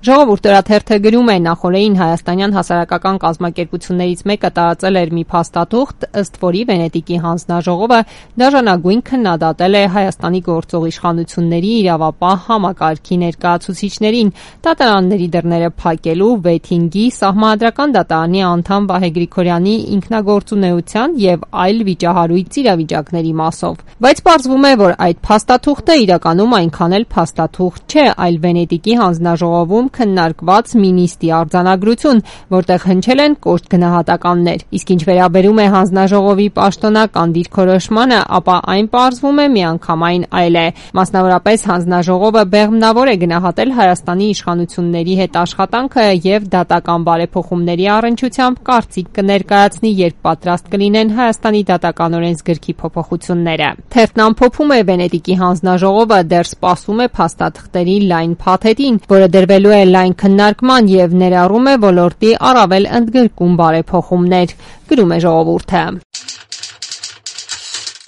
Ժողովուրդ օրաթերթը գրում է, նախորդին հայաստանյան հասարակական կազմակերպություններից մեկը տարածել էր մի փաստաթուղթ, ըստ որի Վենետիկի հանձնաժողովը դաժանագույն քննադատել է Հայաստանի գործող իշխանությունների իրավապահ համակարգի ներկայացուցիչներին դատարանների դռները փակելու, վեթինգի, Սահմանադրական դատարանի անդամ Վահե Գրիգորյանի ինքնագործունեության եւ այլ վիճահարույց իրավիճակների մասով։ Բայց պարզվում է, որ այդ փաստաթուղթը իրականում այնքան էլ փաստաթուղթ չէ, այլ Վենետիկի հանձնաժողովում քննարկված մի նիստի արձանագրություն, որտեղ հնչել են կոշտ գնահատականներ։ Իսկ ինչ վերաբերում է հանձնաժողովի պաշտոնական դիրքորոշմանը, ապա այն պարզվում է միանգամայն այլ է։ Մասնավորապես հանձնաժողովը բեղմնավոր է գնահատել Հայաստանի իշխանությունների հետ աշխատանքը եւ դատական բարեփոխումների առնչությամբ կարծիք կներկայացնի, երբ պատրաստ կլինեն Հայաստանի դատական օրենսգրքի փոփոխությունները։ Թերթն ամփոփում է, Վենետիկի հանձնաժողովը դեռ սպասում է փաստաթղթերի լայն փաթեթին, որը դրվելու է լայն քննարկման եւ ներառում է ոլորտի առավել ընդգրկուն բարեփոխումներ, գրում է Ժողովուրդը։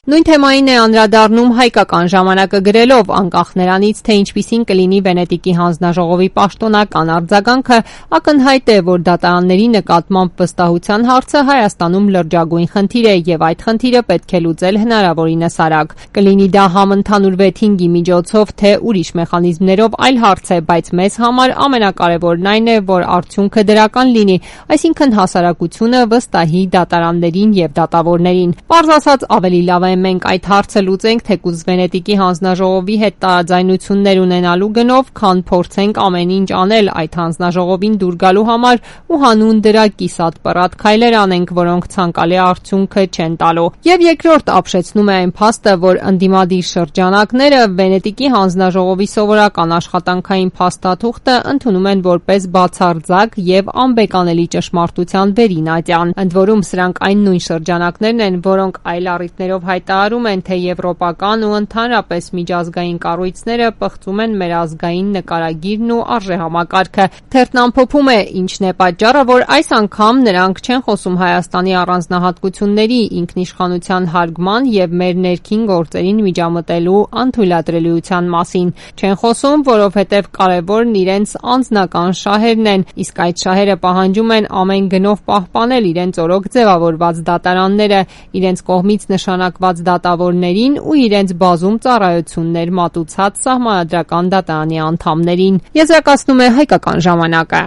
Նույն թեմային է անդրադառնում Հայկական ժամանակը գրելով, անկախ նրանից, թե ինչպիսին կլինի Վենետիկի հանձնաժողովի պաշտոնական արձագանքը, ակնհայտ է, որ դատարանների նկատմամբ վստահության հարցը Հայաստանում լրջագույն խնդիր է եւ այդ խնդիրը պետք է լուծել հնարավորինս արագ։ Կլինի դա համընդհանուր վեթինգի միջոցով, թե ուրիշ մեխանիզմներով, այլ հարց է, բայց մեզ համար ամենակարևորն այն է, որ արդյունքը դրական լինի, այսինքն հասարակությունը վստահի դատարաններին եւ դատավորներին։ Պարզ ասած, ավելի լավ է մենք այդ հարցը լուծենք թեկուզ Վենետիկի հանձնաժողովի հետ տարաձայնություններ ունենալու գնով, քան փորձենք ամեն ինչ անել այդ հանձնաժողովին դուր գալու համար ու հանուն դրա կիսատ պռատ քայլեր անենք, որոնք ցանկալի արդյունքը չեն տալու։ Եվ երկրորդ ապշեցնում է այն փաստը, որ ընդդիմադիր շրջանակները Վենետիկի հանձնաժողովի սովորական աշխատանքային փաստաթուղթը ընդունում են որպես բացարձակ եւ անբեկանելի ճշմարտության վերինատյան։ Ընդ որում սրանք այն նույն շրջանակներն են, որոնք այլ առիթներով հայտարարում են, թե եվրոպական ու ընդհանրապես միջազգային կառույցները պղծում են մեր ազգային նկարագիրն ու արժեհամակարգը։ Թերթն ամփոփում է, ինչն է պատճառը, որ այս անգամ նրանք չեն խոսում Հայաստանի առանձնահատկությունների, ինքնիշխանության հարգման եւ մեր ներքին գործերին միջամտելու անթույլատրելիության մասին։ Չեն խոսում, որովհետեւ կարևորն իրենց անձնական շահերն են, իսկ այդ շահերը պահանջում են ամեն գնով պահպանել իրենց օրոք ձևավորված դատարանները, իրենց կողմից նշանակված դատավորներին ու իրենց բազում ծառայություններ մատուցած Սահմանադրական դատարանի անդամներին։ Եզրակացնում է Հայկական ժամանակը։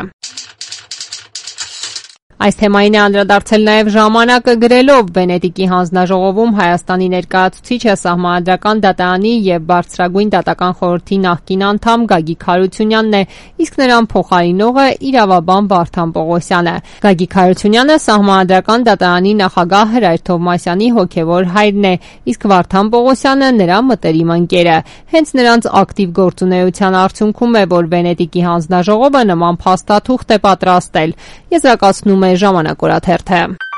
Այս թեմային է անդրադարձել նաև ժամանակը գրելով, Վենետիկի հանձնաժողովում Հայաստանի ներկայացուցիչը Սահմանադրական դատարանի եւ Բարձրագույն դատական խորհրդի նախկին անդամ Գագիկ Հարությունյանն է, իսկ նրան փոխարինողը իրավաբան Վարդան Պողոսյանը։ Գագիկ Հարությունյանը Սահմանադրական դատարանի նախագահ Հրայր Թովմասյանի հոգեվոր հայրն է, իսկ Վարդան Պողոսյանը նրա մտերիմ ընկերը։ Հենց նրանց ակտիվ գործունեության արդյունքում է, որ Վենետիկի հանձնաժողովը նման փաստաթուղթ է պատրաստել։ Եզրակացնում է Ժամանակ օրաթերթը։